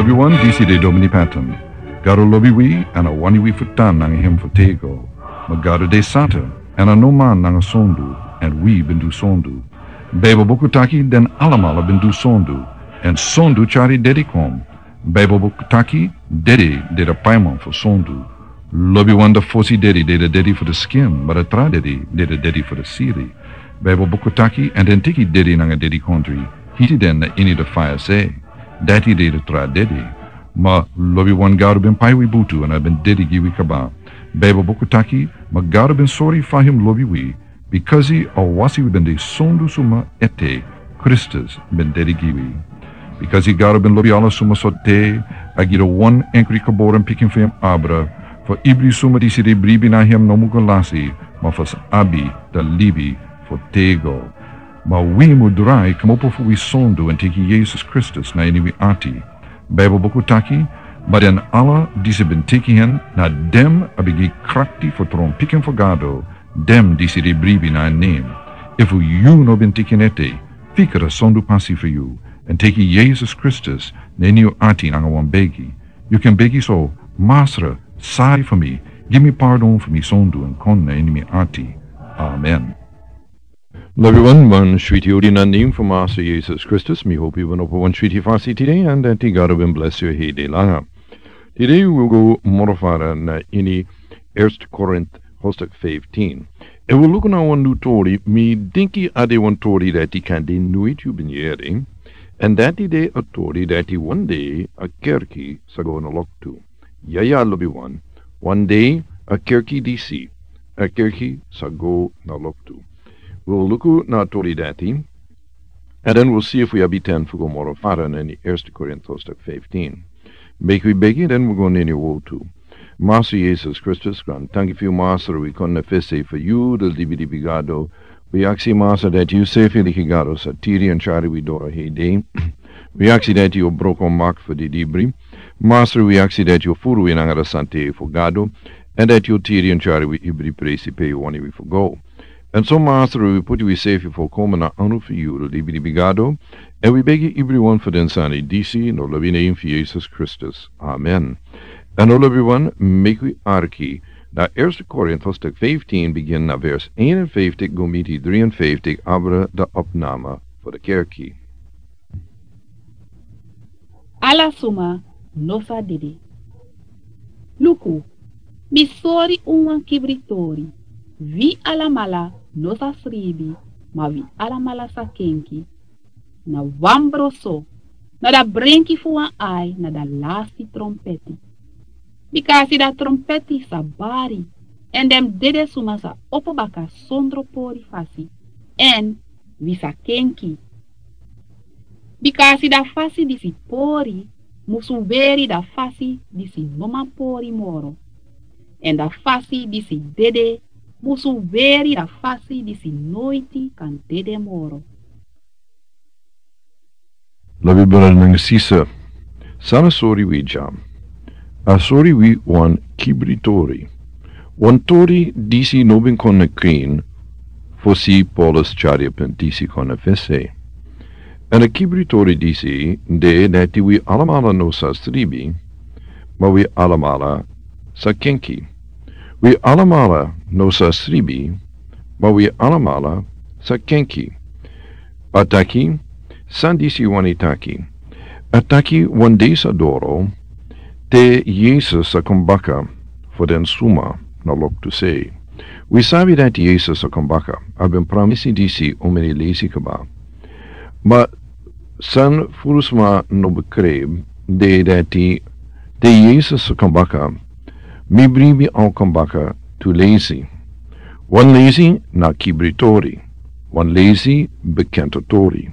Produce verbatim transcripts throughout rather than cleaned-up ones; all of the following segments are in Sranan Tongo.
Lobiwan, disi de Domini Patton. Gado lobi wi, èn a wani wi fu tan nanga hem fu tego. Ma Gado de santa, èn a no man nanga sondu, èn wi ben du sondu. Baibel buku taki den alamala ben du sondu, èn sondu tyari dedi kon. Baibel buku taki dede de a paiman fu sondu. Lobiwan, a fosi dedi de a dedi fu a skin, ma a tra dedi de a dedi fu a sili. Baibel buku taki, èn den teki dede nanga dedikondre, hiti den na ini a faya sei. Dati de a tra dede. Ma lobiwan, Gado ben pai wi butu èn a ben dedi gi wi kaba. Baibel buku taki, ma Gado ben sori fa hem lobi wi, bikasi a wasi wi ben de sondu suma ete, Kristus ben dedi gi wi. Bikasi Gado ben lobi ala suma sortu, a gi a wan enkri geboren pikin fu hem abra, fu ibri suma disi de bribi na hem no mu go lasi, ma fu sa abi a libi fu tego. Ma wi mu drai kmopo fu wi sondu èn teki Yesus Kristus na ini wi ati. Baibel buku taki, ma den ala disi ben teki hen, na den a ben gi krakti fu tron pikin fu Gado, den disi de bribi na en nen. Efu yu no ben teki en ete, fika a sondu pasi fu yu, èn teki Yesus Kristus na ini yu ati nanga wan begi. Yu kan begi so: Masra, sori fu mi, gi mi pardon fu mi sondu èn kon na ini mi ati. Amen. Lobiwan, wan switi odi na nen fu Masra Yesus Kristus, mi hopi wi ben opo wan switi fasi tide, èn dati Gado ben blesi yu heri langa. Tide wi go moro fara na ini Eerste Korint hoofdstuk fifteen. Èn wi luku na wan nyun tori, mi denki a de wan tori dati kande noiti yu ben yere. Èn dati de a tori dati wan dei a kerki sa go na loktu. Ya, ya, lobiwan. Wan dei a kerki disi, a kerki sa go na loktu. Wi luku na tori dati, èn den wi si efu wi abi ten fu go moro fara na ini Eerste Korint hoofdstuk fifteen. Meki wi begi, den wi go na ini wortu. Masra Yesus Kristus, grantanki fu yu, Masra, wi kon na fesi fu yu, a libilibi Gado. Wi aksi, Masra, dati yu sefi leki Gado sa tiri èn tyari wi doro heri dei. Wi aksi dati yu o broko mak fu di libri. Masra, wi aksi dati yu o furu wi nanga a santa fu Gado, èn dati yu o tiri èn tyari wi ibri presi pe yu wani wi fu go. Èn so, Masra, wi poti wi sefi fu kon na anu fu yu, a libilibi Gado, èn wi begi ibri wan fu den sani disi na a lobi nen fu Yesus Kristus. Amen. Èn, o lobiwan, meki wi arki na Eerste Korint hoofdstuk fifteen, bigin na vers eenenvijftig go miti drieënvijftig, abra a opname fu a kerki. Ala suma no sa dede. Luku, mi sori un wan kibritori. Wi alamala no sa sribi, ma wi alamala sa kenki. Na wan broso, na a brenki fu wan ai na a lasti trompeti. Bikasi a trompeti sa bari, èn den dede suma sa opo baka sondro pori fasi, èn wi sa kenki. Bikasi a fasi disi pori musu weri a fasi disi no man pori moro, èn a fasi disi dede musu weri a fasi disi noiti kan dede moro. Lobi brada nanga sisa, san a sori wi dya? A sori wi wan kibritori. Wan tori disi no ben kon na krin fosi Paulus tyari a pen disi kon na fesi. Èn a kibritori disi de dati wi alamala no sa sribi, ma wi alamala sa kenki. Wi alamala no sa sribi, ma wi alamala sa kenki. A taki, san disi wani taki? A taki wan dei sa doro, te Yesus sa kon baka fu den suma na loktu sei. Wi sabi dati Yesus sa kon baka, a ben pramisi disi omeni leisi kaba. Ma san furu sma no bekrei de dati te Yesus sa kon baka, mi bribi a o kon baka tu leisi. Wan leisi na kibritori, wan leisi bekenti tori.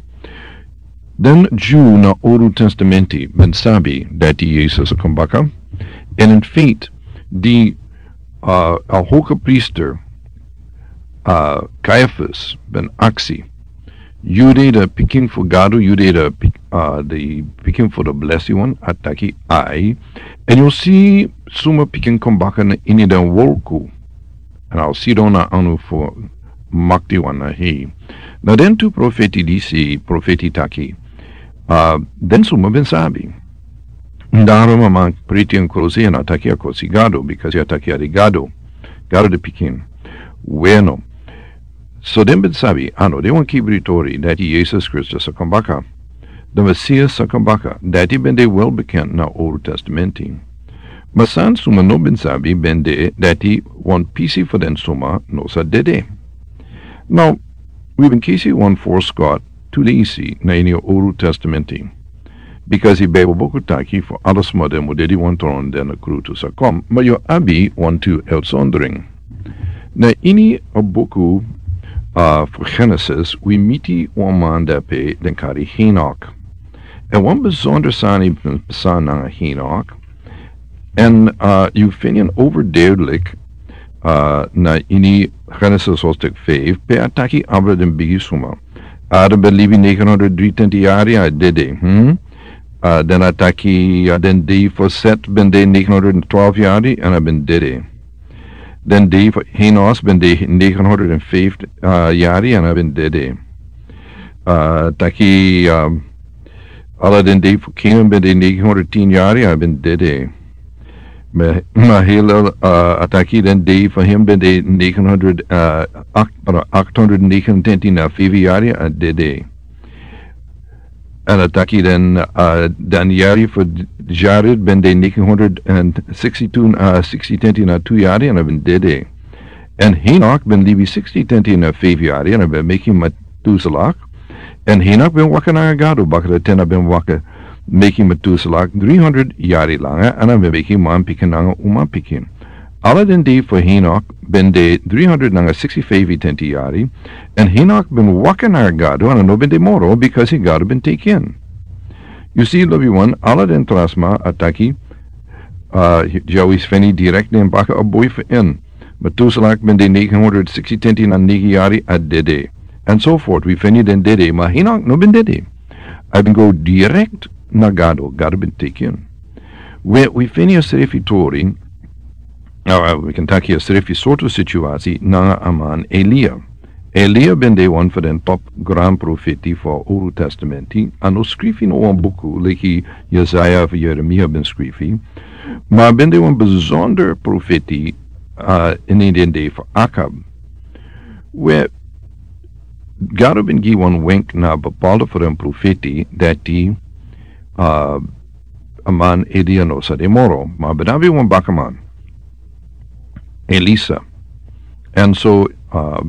Den Dyu na Owru Testamenti ben sabi dati Yesus sa kon baka, èn in feite di, a, a hogepriester, a, Caiaphas ben aksi: Yu de a pikin fu Gado, yu de a pik-, a, a pikin fu a blesi wan? A taki: Ai. Èn yu o si suma pikin kon baka na ini den wolku, èn a o sidon na anu fu maktiwan na hei. Na den tu profeti disi profeti taki, a, den suma ben sabi. Darom a man priti en krusi, en a taki a kosi Gado, bikasi a taki a de Gado, Gado de pikin. Bueno, so den ben sabi, a no de wan kibri tori dati Jesus Kristus a kon baka. The Messias a kon baka, dati ben de wel bekend na Old Testamenti. Ma san suma no ben sabi ben de dati wan pisi fu den suma no sa dede. Now, wi ben kisi wan voorschot tu leisi na ini Old Testamenti. Bikasi Bijbel buku taki fu ala suma den mu dede wan tron den a krutu sa kon, ma yu abi wan tu uitzondering. Na ini a buku, uh, fu Genesis, wi miti wan man dape den kari Henok. En wan besonder sani ben pasa nanga Henok. En, uh, yu feni en overduidelijk, uh, na ini Genesis hoofdstuk vijf, pe a taki abra den bigi suma. A ben libi negenhonderdrietwintig yari a dede. Hmm? Uh, den a taki, uh, den dei fu Set ben de negenhonderdtwaalf yari en a ben dede. Den dei fu Enos ben de negenhonderdvijf, uh, yari en a ben dede. Uh, taki, uh, ala den dei fu Kenan ben de negenhonderdtien yari en a ben dede. Ma, Mahalalel, uh, a taki den dei fu hem ben de negenhonderd, uh, acht, achthonderdnegenentwintig na vijf yari en a dede. En a taki den, uh, den yari fu Jared ben de negenhonderdtwintig, uh, sixty-twenty na tu yari en a ben dede. En Henok ben libi sixty twenty na vijf yari en a ben meki Methuselah. En Henok ben waka nanga Gado, baka dati a ben waka meki Methuselah driehonderd yari langa, en a ben meki manpikin nanga umapikin. Ala den dei fu Henok ben de driehonderd nanga sixty-vijf twenty yari, en Henok ben waka nanga Gado, en a no ben de moro, bikasi Gado ben teki en. Yu si, lobi wan, ala den tra sma a taki, uh, ya wi feni direct den baka a boi fu en. Methuselah ben de negenhonderd sixty twenty na negen yari a dede. En so voort, wi feni den dede, ma Henok no ben dede. A ben go direct na Gado, Gado ben teki en. We, wi feni a srefi tori, uh, wi kan taki a srefi sortu situasi, nanga a man Elia. Elia ben de wan fu den top gran profeti fu Old Testamenti, a no skrifi no wan buku, leki Jesaja fu Jeremia ben skrifi, ma ben de wan besonder profeti, uh, ini den dei fu Akab. We, Gado ben gi wan wenk na bepaalde fu den profeti, dati, uh, a man Elia no sa de moro, ma ben abi wan bakaman, Elisa. En so, uh,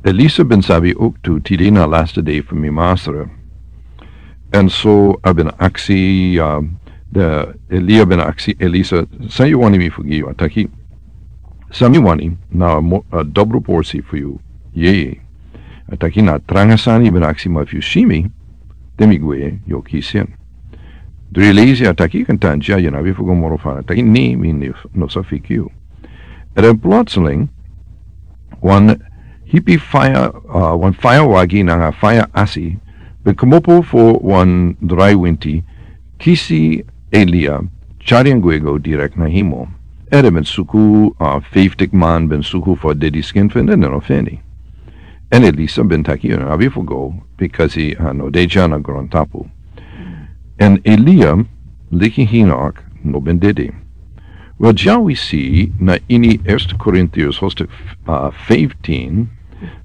Elisa ben sabi ook tu, tide na laatste dei fu mi masra. En so a ben aksi, uh, de Elia ben aksi Elisa, san yu wani mi fu gi yu? A taki, san mi wani na mo-, a dobru porsi fu yu. Yeye. A taki na tranga sani ben aksi, ma fu yu si mi, te mi gwe, yu o kisi en. Dri leisi a taki kan tan dya, yu no abi fu go moro fara. A taki ni, mi ni, no sa fiki yu. En dan plotseling, wan hipi faya, uh, wan faya wagi nanga faya asi, ben komopo fu wan drai winti, kisi Elia, tyari en gwe go direct na hemel. Ede ben suku, uh, vijftig man ben suku fu dede skin fu en, den no feni. En Elisa ben taki, yu no abi fu go, bikasi, uh, no de dya na grontapu. En Elia, leki Henok, no ben dede. Wel, dya wi si na ini Eerste Korintiërs hoofdstuk, uh, vijftien,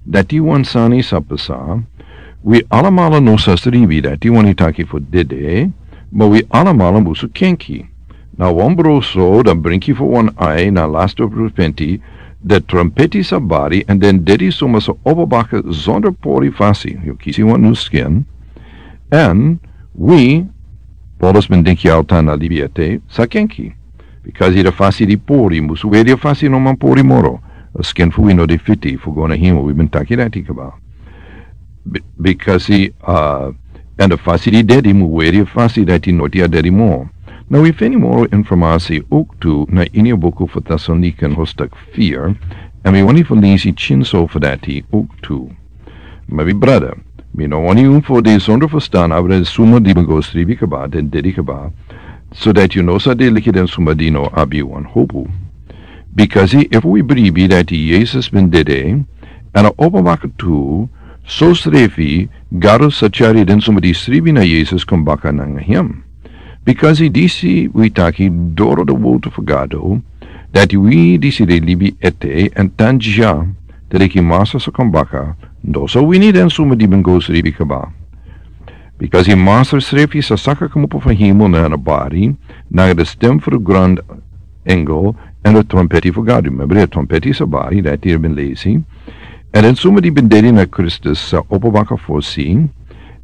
dati wan sani sa pasa, wi alamala no sa sribi dati wani taki fu dede, ma wi alamala musu kenki. Na wan bro so, dan brinki fu wan ai na laatste profeti, de trompeti sa bari, en den dede suma sa opo baka zonder pori fasi. Yu kisi wan nu skin. En wi, Paulus ben denki altan na libi ete, sa kenki. Bikasi de fasi di pori, musu weri a fasi no man pori moro. A skin fu wi no de fiti, fu go na hemel, wi ben taki dati kaba. Bi-, bikasi, uh, en de fasi di dede, mu weri a fasi dati no de a dede moro. Now wi feni moro informasi ook tu na ini a buku fu Thessalonican hoofdstuk vier, en wi wani fu leisi tyin so fu dati ook tu. Ma mi brada, mi no wani un fu de zonder verstaan abra suma di ben go sribi kaba, den dede kaba, so dati yu no sa de leki den suma di no abi wan hopu. Bikasi efu wi bribi dati Jesus ben dede, en a opo baka tu, so srefi, Gado sa tyari den suma di sribi na Jesus kon baka nanga hem. Bikasi disi wi taki doro de wowtu fu Gado, dati wi disi de libi ete èn tan dya, te leki Masra sa kon baka, no sa wini den suma di ben go sribi kaba. Bikasi Masra srefi sa saka kmopo fu hemel na a bari, nanga de stem fu de gron engel, èn de trompeti fu Gado. Member, de trompeti sa bari, dati yu ben lesi. Èn den suma di ben dede na Kristus sa opo baka fosi.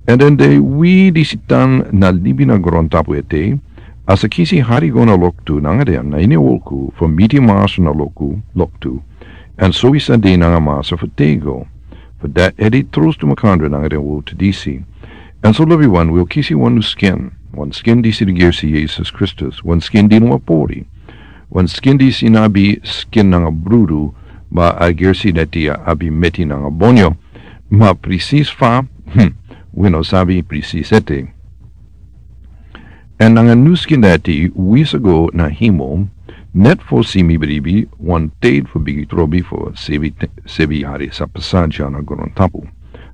Èn den de wi disi tan na libi na grontapu ete, a sa kisi hari go na loktu nanga den na ini a wolku, fu miti Masra na loktu, loktu. Èn so wi sa de nanga Masra fu tego. Fu dati ede trostu makandra nanga den wowtu disi. Èn so lobiwan, wi o kisi wan nu skin. Wan skin disi di gersi Yesus Kristus. Wan skin di no abi pori. Wan skin disi no abi skin nanga brudu, ma a gersi dati a abi meti nanga bonyo. Ma presis fa, hmm, wi no sabi presis ete. Èn nanga nu skin dati wi sa go na hemel, net fosi mi bribi, wan tide fu bigi trobi fu sebi te-, sebi yari sa pasa dya na grontapu.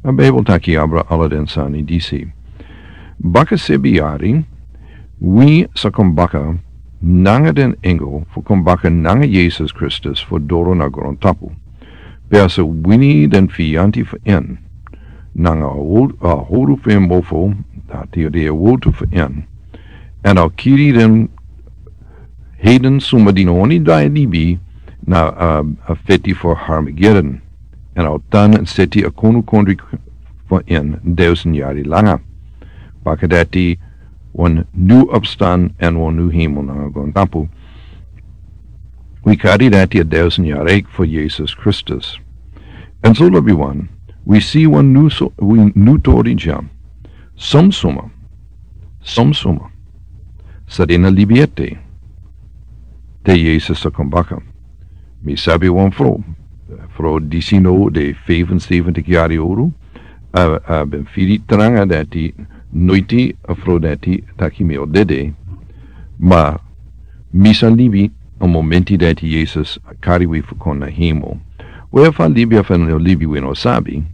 A Bijbel taki abra ala den sani disi. Baka sebi yari, wi sa kon baka nanga den engel fu kon baka nanga Yesus Kristus fu doro na grontapu. Pe a sa wini den fiyanti fu en. Nanga a wo-, a howru fu en mofo, dati de a wowtu fu en. Èn a o kiri den heiden suma di no wani drai libi na, a, a feti fu Harmagedon. Èn a o tan seti a konu kondri fu en dusen yari langa. Baka dati wan nu opstan èn wan nu hemel nanga grontapu. Wi kari dati a dusen yari fu Yesus Kristus. Èn so lobiwan, wi si wan nu so, wi nu tori dya. Son suma, son suma, sa de na libi ete, te Yesus sa kon baka. Mi sabi wan frow, frow disi no de vijfenzeventig yari owru, a, a ben firi tranga dati noiti a frow dati taki mi o dede, ma mi sa libi a momenti dati Yesus a kari wi fu kon na hemel. We fa a libi efu a no libi wi no sabi,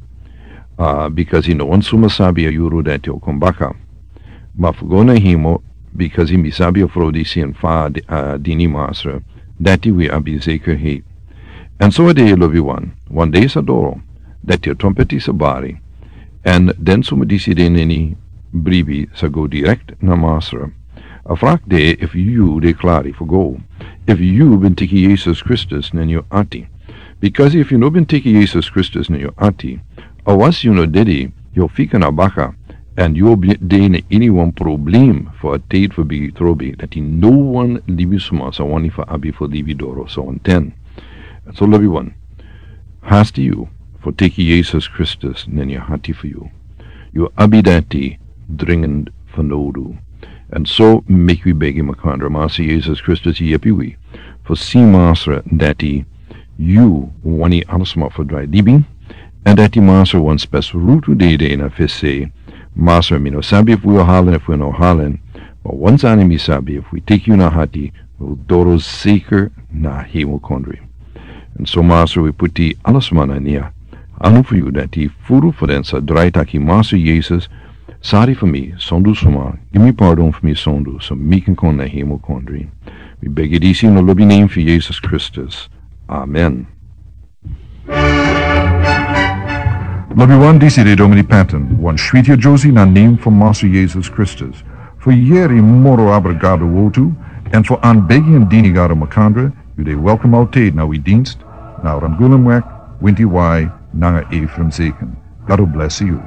a, bikasi no wan suma sabi a yuru dati o kon baka. Ma fu go na hemel, bikasi mi sabi a frow disi èn fa a di-, a dini Masra, dati wi abi zekerheid. Èn so a de lobiwan, wan dei sa doro, dati a trompeti sa bari, èn den suma disi de na ini bribi sa go direkt na Masra. A vraag de efu yu de klari fu go. Efu yu ben teki Yesus Kristus na ini yu ati. Bikasi efu yu no ben teki Yesus Kristus na ini yu ati, a wasi yu no dede, yu o fika na baka, èn yu o ben de na ini wan problem fu a tide fu bigi trobi, dati no wan libisma sa wani fu abi fu libi doro so wanten. So lobiwan, hasti yu fu teki Yesus Kristus na ini yu ati fu yu. Yu abi dati dringend fanowdu. Èn so meki wi begi makandra, Masra Yesus Kristus yepi wi fu si Masra dati yu wani alasma fu drai libi, èn dati Masra wan spes rutu dei de na fesi. Masra, mi no sabi efu wi o halen efu wi no halen, ma wan sani mi sabi, efu wi teki yu na ati, wi o doro zeker na hemel kondri. Èn so Masra, wi puti alasma na ini a anu fu yu dati furu fu den sa drai taki, Masra Yesus, sori fu mi sondu suma, gi mi pardon fu mi sondu, so mi kan kon na hemel kondri. Mi begi disi na lobi nen fu Yesus Kristus. Amen. Lobiwan, disi de Domini Patton, wan switi a Josie na nen fu Masra Yesus Kristus. Fu yere moro abra Gado wowtu, èn fu anbegi èn dini Gado makandra, yu de welkom altijd na wi dienst, na Rangulan Wek, Winti Wai, nanga Ephraim Zeken. Gado blesi yu.